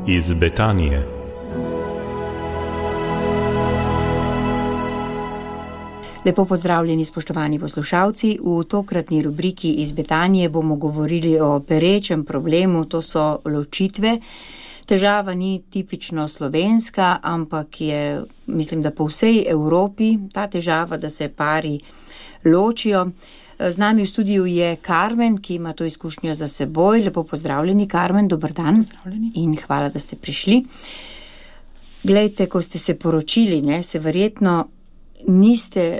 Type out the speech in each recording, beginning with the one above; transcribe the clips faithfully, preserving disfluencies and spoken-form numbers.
iz Betanije. Lepo pozdravljeni, spoštovani poslušalci. V tokratni rubriki iz Betanije bomo govorili o perečem problemu, to so ločitve. Težava ni tipično slovenska, ampak je, mislim, da po vsej Evropi ta težava, da se pari ločijo. Z nami v studiu je Karmen, ki ima to izkušnjo za seboj. Lepo pozdravljeni, Karmen, dober dan. Pozdravljeni. In hvala, da ste prišli. Glejte, ko ste se poročili, ne, se verjetno niste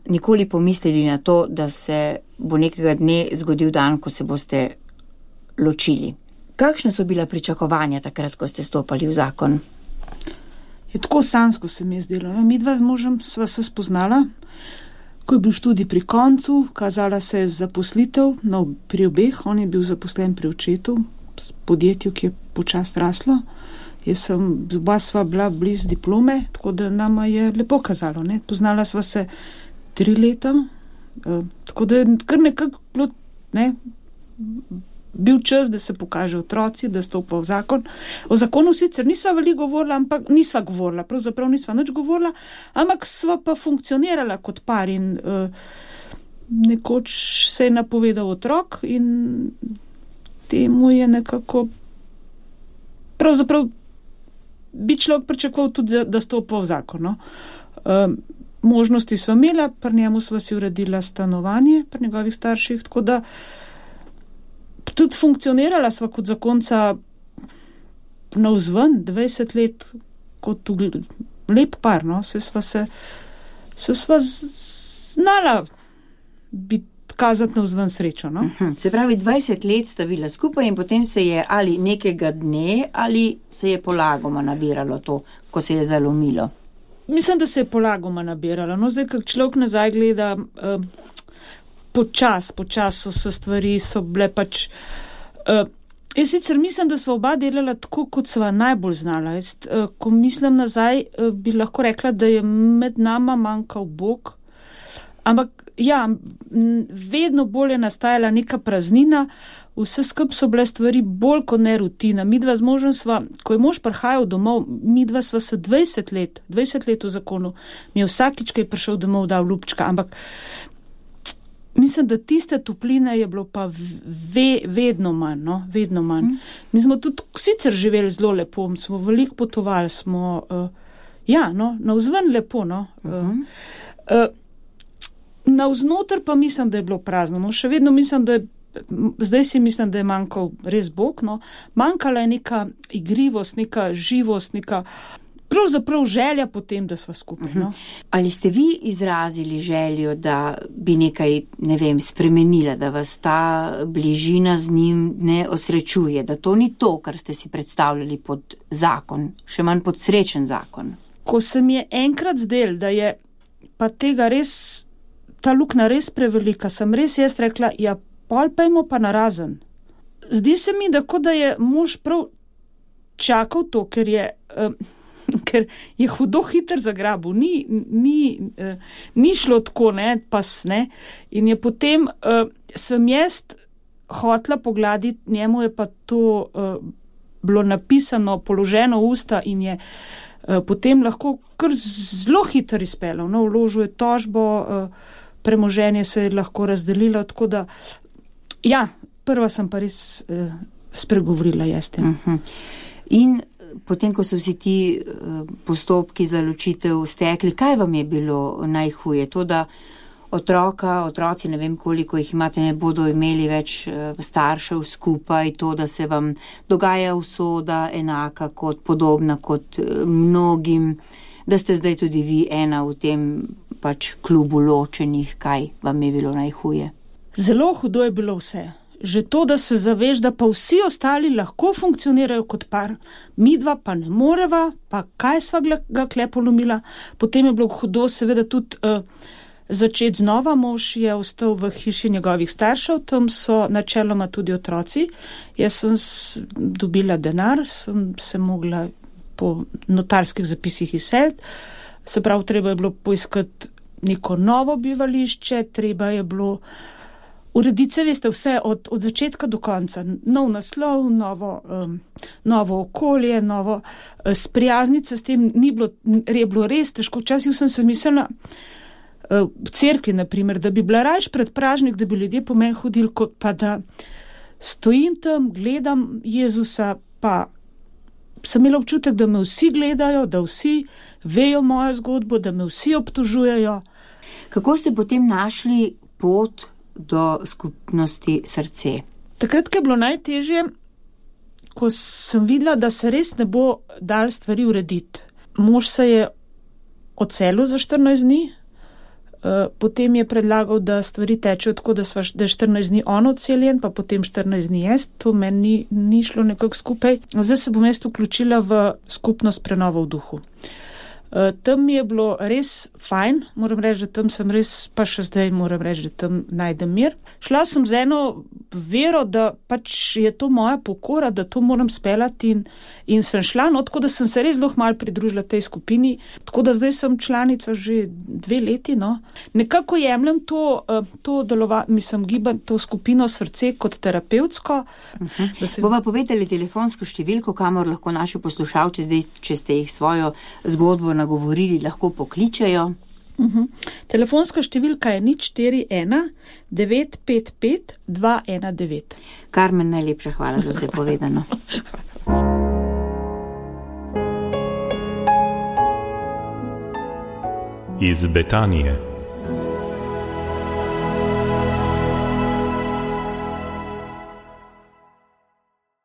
nikoli pomislili na to, da se bo nekega dne zgodil dan, ko se boste ločili. Kakšne so bila pričakovanja takrat, ko ste stopali v zakon? Je tako sanjsko se mi je zdelo. Mi dva z možem sva se spoznala, ko je bil študij pri koncu, kazala se je zaposlitev, no, pri obeh, on je bil zaposlen pri očetu, v podjetju, ki je počas raslo. Jaz sem, oba sva bila bliz diplome, tako da nama je lepo kazalo, ne. Poznala sva se tri leta, eh, tako da je kar nekako, ne, bil čas, da se pokaže otroci, da stopa v zakon. O zakonu sicer nisva veliko govorila, ampak nisva govorila, pravzaprav nisva nič govorila, ampak sva pa funkcionirala kot par in uh, nekoč se je napovedal otrok in temu je nekako pravzaprav bi človek pričakoval tudi, da, da stopa v zakon. No? Uh, možnosti sva imela, pri njemu sva si uredila stanovanje, pri njegovih starših, tako da tudi funkcionirala sva kot zakonca navzven, dvajset let, kot lep par, no, se sva se, se sva znala biti, kazati navzven srečo, no. Se pravi, dvajset let sta bila skupaj in potem se je ali nekega dne, ali se je polagoma nabiralo to, ko se je zalomilo? Mislim, da se je polagoma nabiralo, no, zdaj, kak človek nazaj gleda, uh, počas, počas so se stvari, so bile pač, uh, jaz sicer mislim, da sva oba delala tako, kot sva najbolj znala. Jaz, uh, ko mislim nazaj, uh, bi lahko rekla, da je med nama manjkal Bog, ampak ja, vedno bolj je nastajala neka praznina, vse skup so bile stvari bolj kot ne rutina. Midva z možem sva, ko je mož prihajal domov, midva sva se dvajset let, dvajset let v zakonu, mi je vsakič, ko je prišel domov, dal ljubčka, ampak mislim, da tiste topline je bilo pa ve, vedno manj, no, vedno manj. Mm. Mi smo tudi sicer živeli zelo lepo, smo veliko potovali, smo, uh, ja, no, navzven lepo, no. Mm-hmm. Uh, uh, navznoter pa mislim, da je bilo prazno, no, še vedno mislim, da je, zdaj si mislim, da je manjkal res Bog, no, manjkala je neka igrivost, neka živost, neka pravzaprav želja potem, da sva skupaj. No? Ali ste vi izrazili željo, da bi nekaj, ne vem, spremenila, da vas ta bližina z njim ne osrečuje, da to ni to, kar ste si predstavljali pod zakon, še manj pod srečen zakon? Ko se mi je enkrat zdel, da je pa tega res, ta luknja res prevelika, sem res jaz rekla, ja, pol pejmo pa narazen. Zdi se mi, da kot da je mož prav čakal to, ker je uh, ker je hudo hiter zagrabil, ni, ni, uh, ni šlo tako, ne, pas, ne, in je potem, uh, sem jaz hotla pogladiti, njemu je pa to uh, bilo napisano, položeno v usta in je uh, potem lahko kar zelo hiter izpeljal, no, vložil je tožbo, uh, premoženje se je lahko razdelilo, tako da, ja, prva sem pa res uh, spregovorila jaz tem. Uh-huh. In potem, ko so vsi ti postopki za ločitev stekli, kaj vam je bilo najhuje? To, da otroka, otroci, ne vem koliko jih imate, ne bodo imeli več staršev skupaj, to, da se vam dogaja usoda enaka kot podobna kot mnogim, da ste zdaj tudi vi ena v tem pač klubu ločenih, kaj vam je bilo najhuje? Zelo hudo je bilo vse. Že to, da se zaveš, da pa vsi ostali lahko funkcionirajo kot par, midva pa ne moreva, pa kaj sva ga kle polomila. Potem je bilo hudo seveda tudi uh, začeti znova. Mož je ostal v hiši njegovih staršev, tam so načeloma tudi otroci. Jaz sem dobila denar, sem se mogla po notarskih zapisih izseliti. Se pravi, treba je bilo poiskati neko novo bivališče, treba je bilo Uredice, veste, vse od, od začetka do konca. Nov naslov, novo, um, novo okolje, novo uh, sprijazniti se s tem ni bilo, je bilo res težko. Včasih sem se mislila uh, v cerkvi, naprimer, da bi bila rajš pred pražnik, da bi ljudje po meni hodili, kot pa da stojim tam, gledam Jezusa, pa sem imela občutek, da me vsi gledajo, da vsi vejo mojo zgodbo, da me vsi obtožujejo. Kako ste potem našli pot do skupnosti Srce? Takrat, ko je bilo najtežje, ko sem videla, da se res ne bo dal stvari urediti. Mož se je odselil za štirinajst dni, potem je predlagal, da stvari tečejo tako, da, sva, da je štirinajst dni on odseljen, pa potem štirinajst dni jaz. To meni ni, ni šlo nekako skupaj. Zdaj se bom jaz vključila v skupnost Prenova v duhu. Uh, tam mi je bilo res fajn, moram reči, da tam sem res, pa še zdaj moram reči, da tam najdem mir. Šla sem z eno vero, da pač je to moja pokora, da to moram speljati in, in sem šla, no, tako da sem se res zelo malo pridružila tej skupini, tako da zdaj sem članica že dve leti, no. Nekako jemljem to, uh, to delova, mislim, giban, to skupino Srce kot terapevtsko. Uh-huh. Se... Bova povedali telefonsko številko, kamor lahko naši poslušalci zdaj, če ste jih svojo zgodbo nagovorili, lahko pokličajo. Uh-huh. Telefonska številka je nič štiri ena devet pet pet dva ena devet. Karmen, najlepša hvala za vse povedano. Iz Betanije.